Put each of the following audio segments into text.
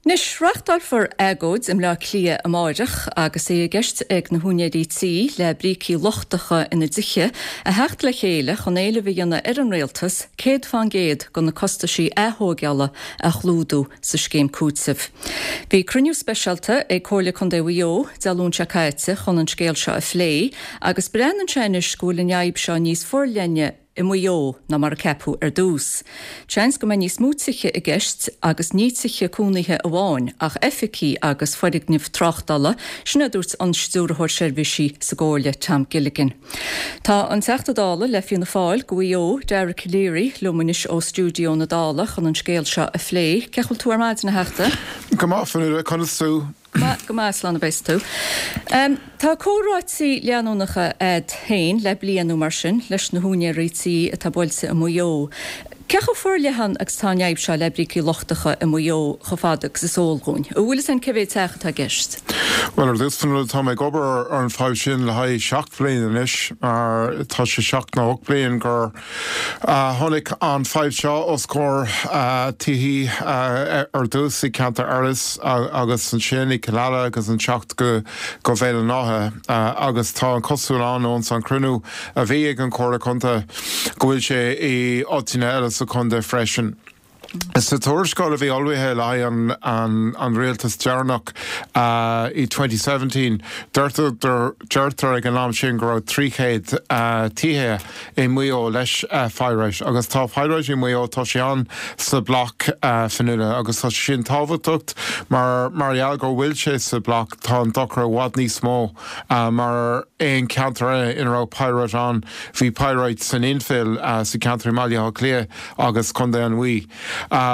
Anois, reáchtálfar agóid i mBleá Cliath amáireach agus é i gceist ag na húinéirí tí le brící lochtacha ina dtithe a theacht le chéile chun éileamh a dhéanamh ar an Rialtas 100% de na costaisí aththóigeála a chlúdú sa scéim cúitimh. Bhí cruinniú speisialta ag Comhairle Contae Mhaigh Eo Dé Luain seo caite chun an scéal seo a phlé agus breathnaíonn sé anois go bhfuil an fhadhb seo níos forleithne i Maigh Eo ná mar a ceapadh ar dtús. Seans go mbeidh níos mó tithe i gceist agus ní tithe cónaithe amháin ach oifigí agus foirgnimh tráchtála, sin a dúirt an Stiúrthóir Seirbhísí sa gComhairle, Tom Gilligan. Tá an Teachta Dála le Fianna Fáil go Mhaigh Eo, Dara Calleary, liom anois ó stiúideo na Dála chun an scéal seo a phlé. Cén chaoi a bhfuil tú ar maidin, a Theachta? Go maith, Fionnuala, conas tú? Maith go maith, slán a bheas tú. Tá comhráití leanúnacha a'd féin le bliain nó mar sin leis na húinéirí tí atá buailte i Maigh Eo. Cé chomh forleathan agus atá an fhadhb seo le brící lochtacha i Maigh Eo chomh fada agus is eol dhúinn? An bhfuil fhios a'inn cé mhéad teach atá i gceist? Bhuel, ar dtús, Fionnuala, tá mé ag obair ar an fadhb sin le haghaidh 7 bliain anois, mar tá sé 7 nó 8 bliain gur Tháinig an fadhb seo os comhair tithí ar dtús i gceantar Iorrais agus ansin i gCill Ala agus an teacht go Béal an Átha agus tá an cosúil ann ón san cruinniú a bhí ag an Comhairle Contae go bhfuil sé i áiteanna eile sa chontae freisin. Sa tuarascáil a bhí ullmhaithe le haghaidh an rialtas deireanach i 2017, deirtear ag an am sin go raibh 300 tithe i Maigh Eo leis pyrite agus tá pyrite i Maigh Eo, tá sé ann sa bloc Fionnuala agus tá sé sin tábhachtach mar mar gheall go bhfuil sé sa bloc tá an dochar i bhfad níos mó mar aon ceantar eile ina raibh pyrite ann. Bhí pyrite san infill sa ceantar i mBaile Átha Cliath agus Contae an Mhí.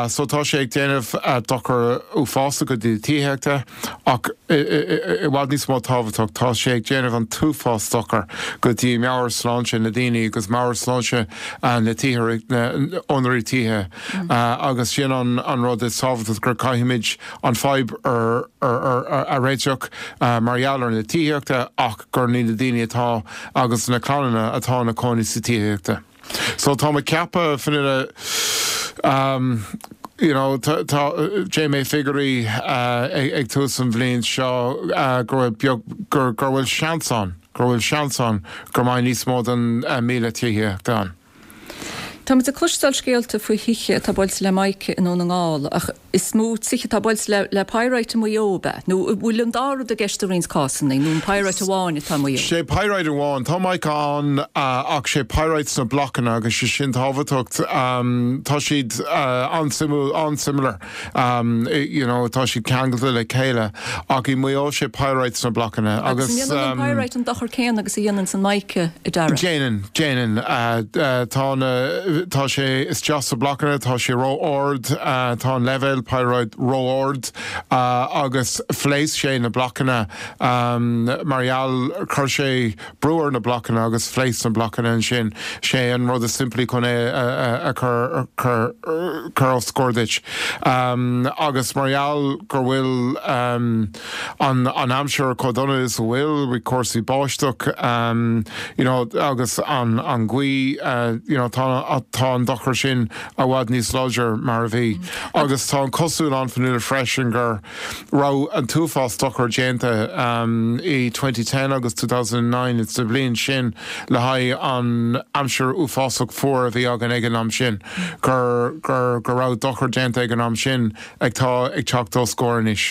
So tá sé ag déanamh dochar uafásach go dtí tithíochta ach i bhfad níos mó tábhachtach tá sé ag déanamh an t-uafás dochar go dtí meabhairshláinte na daoine agus meabhairshláinte na tithe na úinéirí tithe agus sin an an rud is tábhachtach gur caithfimid an fadhb a réiteach mar gheall ar na tithíochta ach gur ní na daoine atá agus na clannanna atá ina cónaí sa tithíochta. So tá mé ag ceapadh, Fionnuala, um, you know, tá, tá, déan mé figiúirí uh, ag, ag tús an bhliain seo uh, go bhfuil beag, gur, gur bhfuil seans ann, gur bhfuil seans ann gur mbeidh níos mó den uh, 1,000 tithíochta ann. Táimid ag cloisteáil scéalta faoi thithe atá buailte le mica i nDún na nGall ach Is mó tithe atá buailte le le pyrite i Maigh Eo, ab ea? Nó an bhfuil an dá rud i gceist i roinnt cásanna, nó an pyrite amháin atá i Maigh Eo? Sé pyrite amháin. Tá mica ann ach sé pyrite sna blocanna agus sé sin tábhachtach. Tá siad an-suimiúil, an-similar, you know, tá siad ceangailte le chéile ach i Maigh Eo sé pyrite sna blocanna Agus an ndéanann an pyrite an dochar céanna agus a dhéananns an mica, a Dara? Déanann, déanann. Tá na, tá sé isteach sa blocanna, tá sé ró-ard, tá an leibhéal pyrite ró-ard agus phléasc sé na blocanna mar gheall, chuir sé brú ar na blocanna agus phléasc na blocanna ansin. Sé an rud is simplí chun é a chur, chur, chur os comhair duit. Agus mar gheall gur bhfuil an an aimsir chomh dona is a bhfuil, cúrsaí báisteach, you know, agus an an ghaoth, you know, tá tá an dochar sin i bhfad níos láidre mar a bhí. Agus tá an cosúil ann Fionnuala freisin gur raibh an t-uafás dochar déanta i 2010 agus 2009 sa bhliain sin le haghaidh an aimsir uafásach fuar a bhí againn ag an am sin, gur gur go raibh dochar déanta ag an am sin ag tá ag teacht os comhair anois.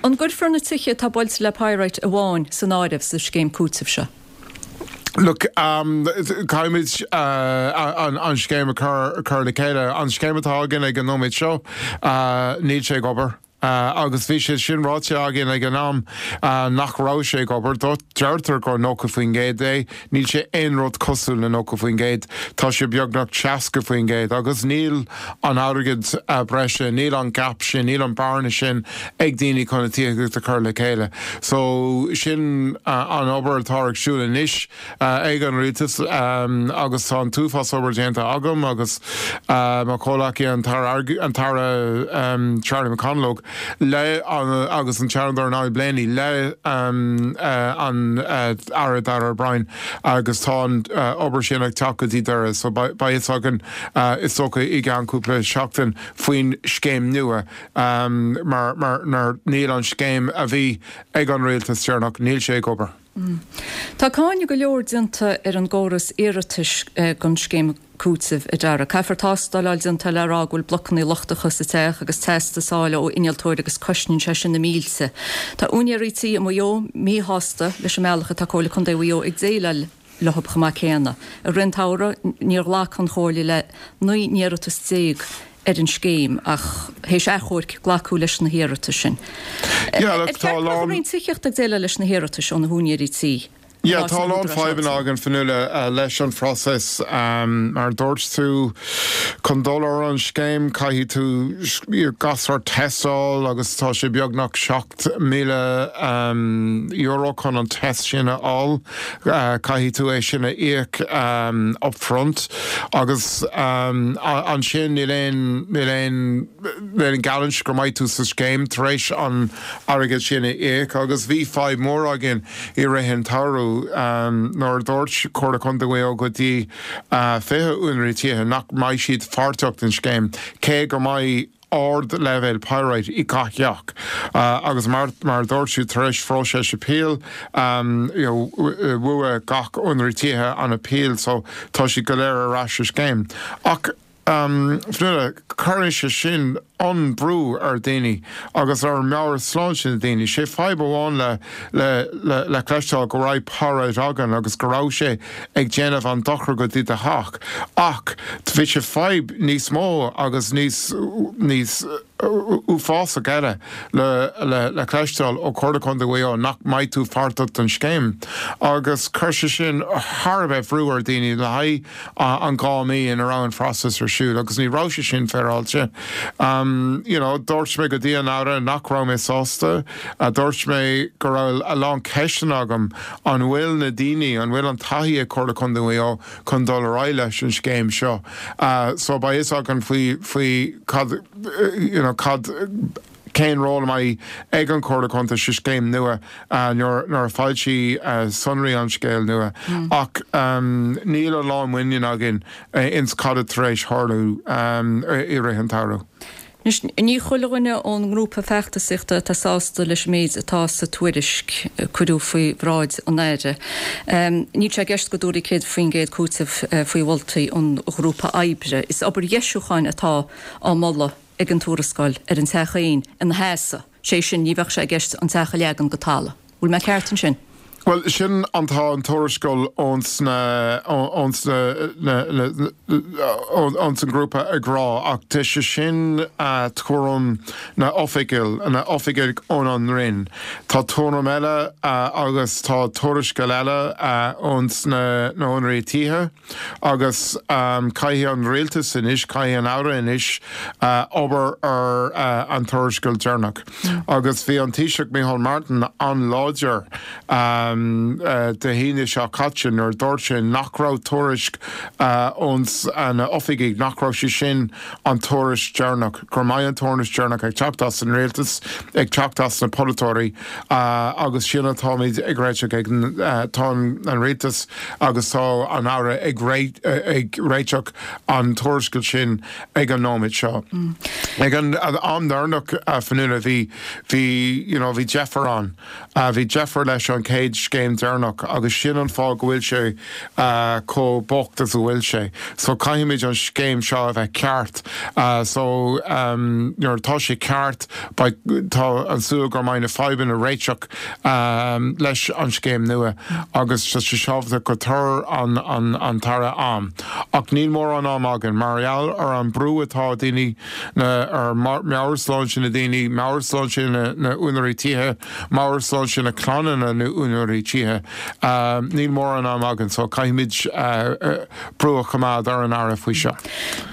An gcuirfear na tithe atá buailte le pyrite amháin san áireamh sa scéim cúitimh seo? Look, caithfimid an scéim a chur le chéile. An scéim atá againn ag an nóiméad seo, níl sé ag obair. Agus bhí sé sin ráite againn ag an am nach raibh sé ag obair. Deirtear gur 90% é. Níl sé aon rud cosúil le 90%. Tá sé beagnach 60% agus níl an airgead breise, níl an gap sin, níl an bearna sin ag daoine chun a tithíocht a chur le chéile. So sin an obair atá ar siúl anois ag an rialtas agus tá an t-uafás obair déanta agam agus mo chomhleacaí an tAire an tAire Charlie McConalogue. le agus an Seanadóir Niall Blaney le an Aire Darragh O'Brien agus tá an obair sin ag teacht go dtí deireadh so beidh fhios againn is dócha i gceann cúpla seachtain faoin scéim nua mar mar níl an scéim a bhí ag an rialtas deireanach, níl sé ag obair. Tá cáineadh go leor déanta ar an gcóras iarratais don scéim cúitimh, a Dara. Caithfear tástáil a fháil déanta le rá go bhfuil blocanna lochtacha sa teach agus teastas a fháil ó innealtóir agus cosnaíonn sé sin na mílte. Tá úinéirí tí i Maigh Eo míshásta leis an mbealach atá Comhairle Contae Mhaigh Eo ag déileáil leo chomh maith céanna. I rith an tsamhraidh níor ghlac an Chomhairle le 19 n-iarratas ar an scéim ach théis achomhairc glacadh leis na hiarratais sin. Ar cheart go mbeadh an Roinn Tithíochta ag déileáil leis na hiarratais ó na húinéirí tí in áit na húdaráis áitiúla? Tá a lán fadhbanna againn, Fionnuala, leis an phróiseas. Mar a dúirt tú, chun dul ar an scéim caithfidh tú gach sórt tástáil agus tá sé beagnach €7,000 chun an test sin a fháil. Caithfidh tú é sin a íoc up front agus ansin níl aon, níl aon, níl aon gheallúint go mbeidh tú sa scéim tar éis an airgead sin a íoc agus bhí fadhb mór againn i rith an tsamhraidh nuair a dúirt Comhairle Contae Mhaigh Eo go dtí 20 úinéirí tithe nach mbeidh siad pháirteach den scéim cé go mbeidh ard-leibhéal pyrite i gach teach agus mar mar a dúirt tú tar éis phróiseas appeal you know bhuaigh gach úinéirí tithe an appeal so tá siad go léir ar ais sa scéim. Ach Fionnuala, cuireann sé sin an brú ar daoine agus ar meabhairshláinte na daoine. Sé fadhb amháin le le le le cloisteáil go raibh pyrite againn agus go raibh sé ag déanamh an dochar go dtí do theach ach bhí sé fadhb níos mó agus níos níos uafásach eile le le le cloisteáil ó Chomhairle Contae Mhaigh Eo nach mbeidh tú pháirteach den scéim agus chuir sé sin thar a bheith bhrú ar daoine le haghaidh an 2 mí ina raibh an phróiseas ar siúl agus ní raibh sé sin féaráilte. You know, dúirt mé go dtí an Aire nach raibh mé sásta. Dúirt mé go raibh a lán ceisteanna agam, an bhfuil na daoine, an bhfuil an taithí ag Comhairle Contae Mhaigh Eo chun dul ar aghaidh leis an scéim seo? So beidh fhios againn faoi, faoi cad, you know, cad, cén ról a mbeidh ag an Chomhairle Contae sa scéim nua nuair a foilsíodh sonraí an scéal nua. Ach níl a lán muinín againn ins cad atá tar éis tharlú i rith an tsamhraidh. Anois, ní chuile dhuine ón ngrúpa feachtasaíochta atá sásta leis an méid atá sa tuairisc a cuireadh faoi bhráid an Aire. Níl sé i gceist go dtabharfaí 100% cúiteamh faoi mholtaí an ghrúpa oibre. Is obair dheisiúcháin atá á moladh ag an tuarascáil ar an teach féin ina sheasamh, sé sin, ní bheadh sé i gceist an teach a leagan go talamh. Bhfuil mé ceart ansin? Bhuel, sin an tá an tuarascáil ós na ós na ós an grúpa ag rá ach tá sé sin tuairim na oifigigh na oifigigh ón an Roinn. Tá tuairim eile agus tá tuarascáil eile ós na na húinéirí tithe. Agus caithfidh an rialtas anois, caithfidh an Aire anois obair ar an tuarascáil deireanach. Agus bhí an Taoiseach Micheál Martin an-láidir Dé hAoine seo caite nuair a dúirt sé nach raibh tuairisc ós na oifigigh, nach raibh sé sin an tuairisc deireanach, gur mbeidh an tuairisc deireanach ag teacht as an rialtas, ag teacht as na polaiteoirí agus sin atáimid ag réiteach ag, tá an rialtas agus tá an Aire ag réiteach an tuarascáil sin ag an nóiméad seo. Ag an am deireanach, a Fionnuala, bhí, bhí, you know, bhí deifir ann. Bhí deifir leis an chéad scéim deireanach agus sin an fáth go bhfuil sé chomh bocht is a bhfuil sé. So caithfimid an scéim seo a bheith ceart. So nuair atá sé ceart beidh, tá an súil go mbeidh na fadhbanna réiteach leis an scéim nua agus tá sé tábhachtach go tabharfaidh an an tAire am. Ach níl mórán am againn mar gheall ar an brú atá daoine na, ar meabhairshláinte na daoine, meabhairshláinte na n-úinéirí tithe, meabhairshláinte na clanna na n-úinéirí tithe. Níl mórán am againn so caithfimid brú a choimeád ar an Aire faoi seo.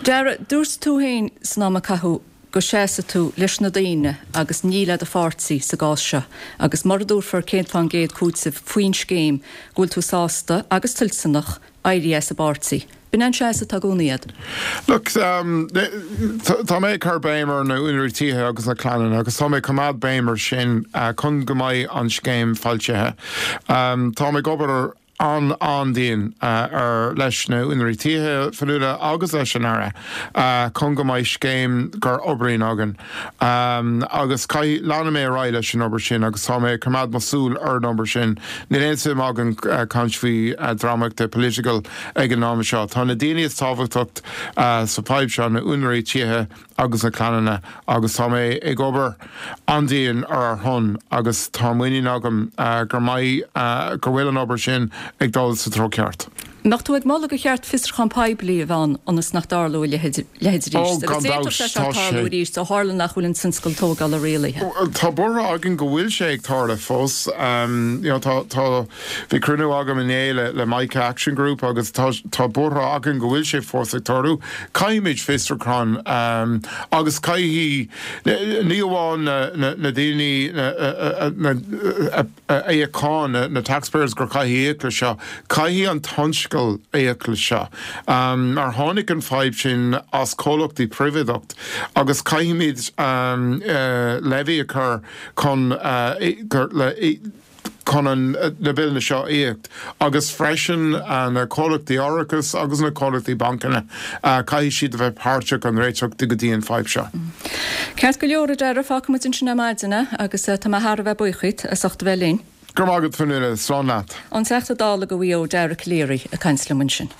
Dara, dúirt tú féin san am a caitheadh go seasfaidh tú leis na daoine agus ní le do pháirtí sa gcás seo agus mura dtabharfar 100% cúiteamh faoin scéim go bhfuil tú sásta agus toilteanach éirí as an bpáirtí. B'in an seasamh atá i gcónaí agat. Look, tá mé ag cur béim ar na úinéirí tithe agus na clannanna agus tá mé ag coimeád béim ar sin chun go mbeidh an scéim foilsithe. Táim ag obair an-an-dian ar leis na úinéirí tithe, Fionnuala, agus leis an Aire chun go mbeidh scéim gur oibríonn againn. Agus caithfidh, leanfaidh mé ar aghaidh leis an obair sin agus tá mé ag coimeád mo súil ar an obair sin. Níl aon suim agam caint faoi drámaíochta political ag an am seo. Tá na daoine is tábhachtach sa fadhb seo, na úinéirí tithe agus na clannanna agus tá mé ag obair an-dian ar ar shon agus tá muinín agam gur mbeidh, go bhfuil an obair sin ag dul sa treo ceart. Mbeadh tú ag moladh gur cheart fiosrúchán poiblí a bheith ann ionas nach dtarlódh a leithéid arís? Ó, gan Agus dabht, d'fhéadfadh sé seo tá tarlú sé. arís ó tharla nach bhfuil an tionscal tógála rialaithe. Tá buartha againn go bhfuil sé ag tarlú fós. You know, tá, tá, bhí cruinniú agam inné le, le Mica Action Group agus tá, tá buartha againn go bhfuil sé fós ag tarlú. Caithfimid fiosrúchán agus caithfidh, ní amháin na, na, na daoine, na, na, na, a íocann na taxpayers gur caithfidh íoc le seo, caithfidh an tionscal íoc le seo. Mar tháinig an fadhb sin as comhlachtaí príobháideacht agus caithfimid levy a chur chun chun an na billeanna seo a íoc agus freisin na comhlachtaí árachais agus na comhlachtaí bancanna caithfidh siad a bheith páirteach an réiteach go dtí an fadhb seo. Ceart go leor, a Dara, fágfaidh muid ansin ar maidin é agus tá mé thar a bheith buíoch díot as ucht a bheith linn. Go raibh maith agat, Fionnuala. Slán leat. An Teachta Dála do Mhaigh Eo, Dara Calleary, ag caint liom ansin.